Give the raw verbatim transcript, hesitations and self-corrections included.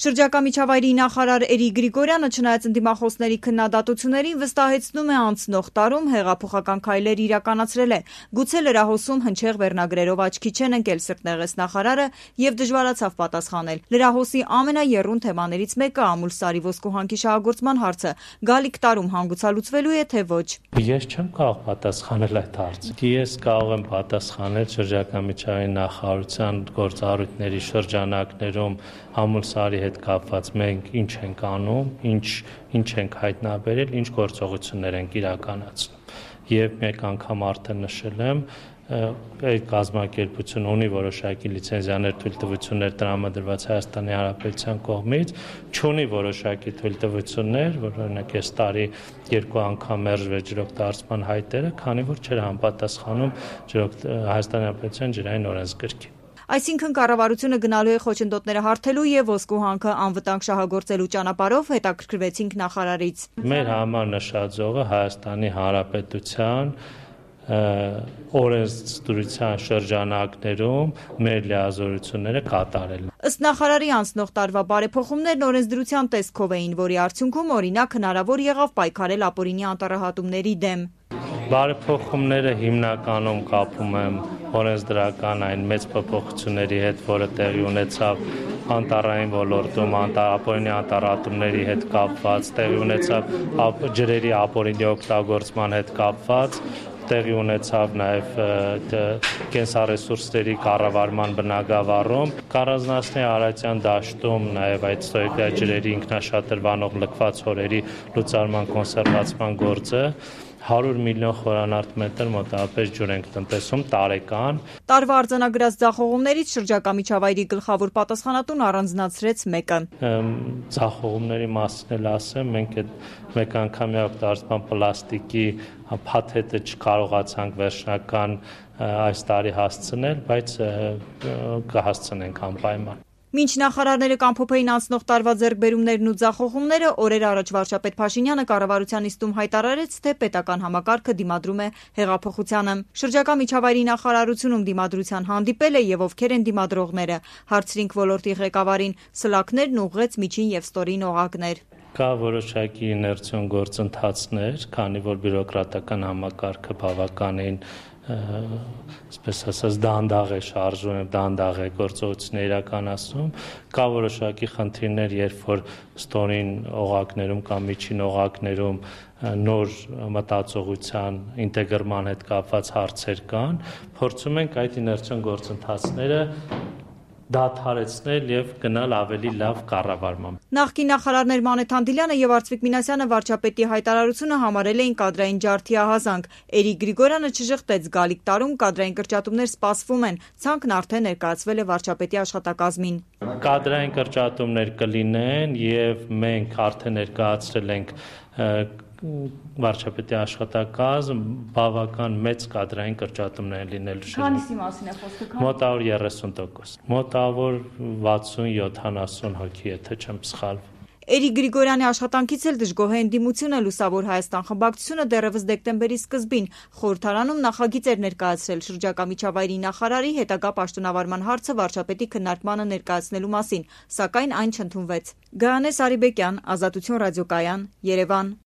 Շրջակա միջավայրի նախարար Էրիկ Գրիգորյանը չնայած ընդդիմախոսների քննադատություններին վստահեցնում է անցնող տարում հեղափոխական քայլեր իրականացրել է, գուցե լրահոսում հնչեղ վերնագրերով աչքի չեն ընկել, սրտնեղեց նախարարը եւ դժվարացավ պատասխանել։ Լրահոսի ամենաեռուն թեմաներից մեկը ամուլսարի ոսկուհանքի շահագործման հարցը գալիք տարում հանգուցալուծվելու է, թե ոչ։ Ես չեմ կարող պատասխանել այդ հարցին։ Ես կարող եմ պատասխանել շրջակա միջավայրի նախարարության գործառույթների շրջանակներում ամուլսարի հետ կապված մենք ինչ ենք անում, ինչ ինչ ենք հայտնաբերել, ինչ գործողություններ ենք իրականացնում։ Եվ մեկ անգամ արդեն նշել եմ, այդ կազմակերպությունը ունի որոշակի լիցենզիաներ, թույլտվություններ տրամադրված Հայաստանի Հանրապետության կողմից, չունի որոշակի թույլտվություններ, որ օրինակ այս տարի երկու անգամ մերժվեց ջրօգտագործման հայտերը, քանի որ չէր համապատասխանում Հայաստանի Հանրապետության ջրային օրենսգրքին։ Այսինքն կառավարությունը գնալու է խոչընդոտները հարթելու եւ ոսկուհանքը անվտանգ շահագործելու ճանապարհով, հետաքրքրվեցինք նախարարից։ Մեր համար նշաձողը Հայաստանի Հանրապետության օրենսդրության շրջանակներում մեր լիազորությունները կատարելն։ Ըստ նախարարի անցնող տարվա բարեփոխումներն օրենսդրության տեսքով էին, որի արդյունքում օրինակ հնարավոր եղավ պայքարել ապօրինի անտառահատումների դեմ։ Բարեփոխումները հիմնականում կապում եմ օրենսդրական այն մեծ փոփոխությունների հետ, որը տեղի ունեցավ անտառային ոլորտում, ապօրինի անտառահատումների հետ կապված, տեղի ունեցավ ջրերի ապօրինի օգտագործման հետ կապված, տեղի ունեցավ նաև կենսառեսուրսների կառավարման բնագավառում, Քարազնասնի Արարատյան դաշտում նաև այդ ստոյկա ջրերի ինքնաշատրվանող լքված հորերի լուծարման կոնսերվացման գործը, հարյուր միլիոն խորանարդ մոտավորապես ջուր ենք տնտեսում տարեկան։ Տարվա արձանագրած ձախողումներից շրջակա միջավայրի գլխավոր պատասխանատուն առանձնացրեց մեկը։ Ձախողումների մասին էլ ասեմ, մենք այդ մեկ անգամյա օգտագործման պլաստիկի փաթեթը չկարողացանք վերջնական այս տարի հասցնել, բայց կհասցնենք անպայման։ Մինչ նախարարները կամփոփեին անցնող տարվա ձեռքբերումներն ու ձախողումները, օրեր առաջ վարչապետ Փաշինյանը կառավարության նիստում հայտարարեց, թե պետական համակարգը դիմադրում է հեղափոխությանը։ Շրջակա միջավայրի նախարարությունում դիմադրության հանդիպել է եւ ովքեր են դիմադրողները, հարցրինք ոլորտի ղեկավարին, սլաքներն ուղղեց միջին եւ ստորին օղակներ։ Կա որոշակի իներցիոն գործընթացներ, քանի որ բյուրոկրատական համակարգը բավականին այսպես ասած դանդաղ է շարժում եւ դանդաղ է գործողություններ իրականացնում, կա որոշակի խնդիրներ, երբ որ ստորին օղակներում կամ միջին օղակներում նոր մտածողության ինտեգրման հետ կապված հարցեր կան, փորձում ենք այդ իներցիոն գործընթացները դադարեցնել եւ գնալ ավելի լավ կառավարման։ Նախկին նախարարներ Մանեթ Հանդիլյանը եւ Արծվիկ Մինասյանը վարչապետի հայտարարությունը համարել էին կադրային ջարդի ահազանգ։ Էրիկ Գրիգորյանը չժխտեց գալիք տարում կադրային կրճատումներ սպասվում են, ցանկն արդեն ներկայացվել է վարչապետի աշխատակազմին։ Կադրային կրճատումներ կլինեն եւ մենք արդեն ներկայացրել ենք վարչապետի աշխատակազմ բավական մեծ կադրային կրճատումներ լինելու շրջանում։ Քանիսի մասին է խոսքը։ Մոտավոր երեսուն տոկոս։ Մոտավոր վաթսուն յոթանասուն հոգի, եթե չեմ սխալվում։ Էրիկ Գրիգորյանի աշխատանքից էլ դժգոհ է ընդդիմությունը, Լուսավոր Հայաստան խմբակցությունը դեռևս դեկտեմբերի սկզբին խորհրդարանում նախագիծ էր ներկայացրել շրջակա միջավայրի նախարարի հետագա պաշտոնավարման հարցը վարչապետի քննարկմանը ներկայացնելու մասին, սակայն այն չընդունվեց։ Գայանե Սարիբեկյան, Ազատություն ռադիոկայան, Երևան։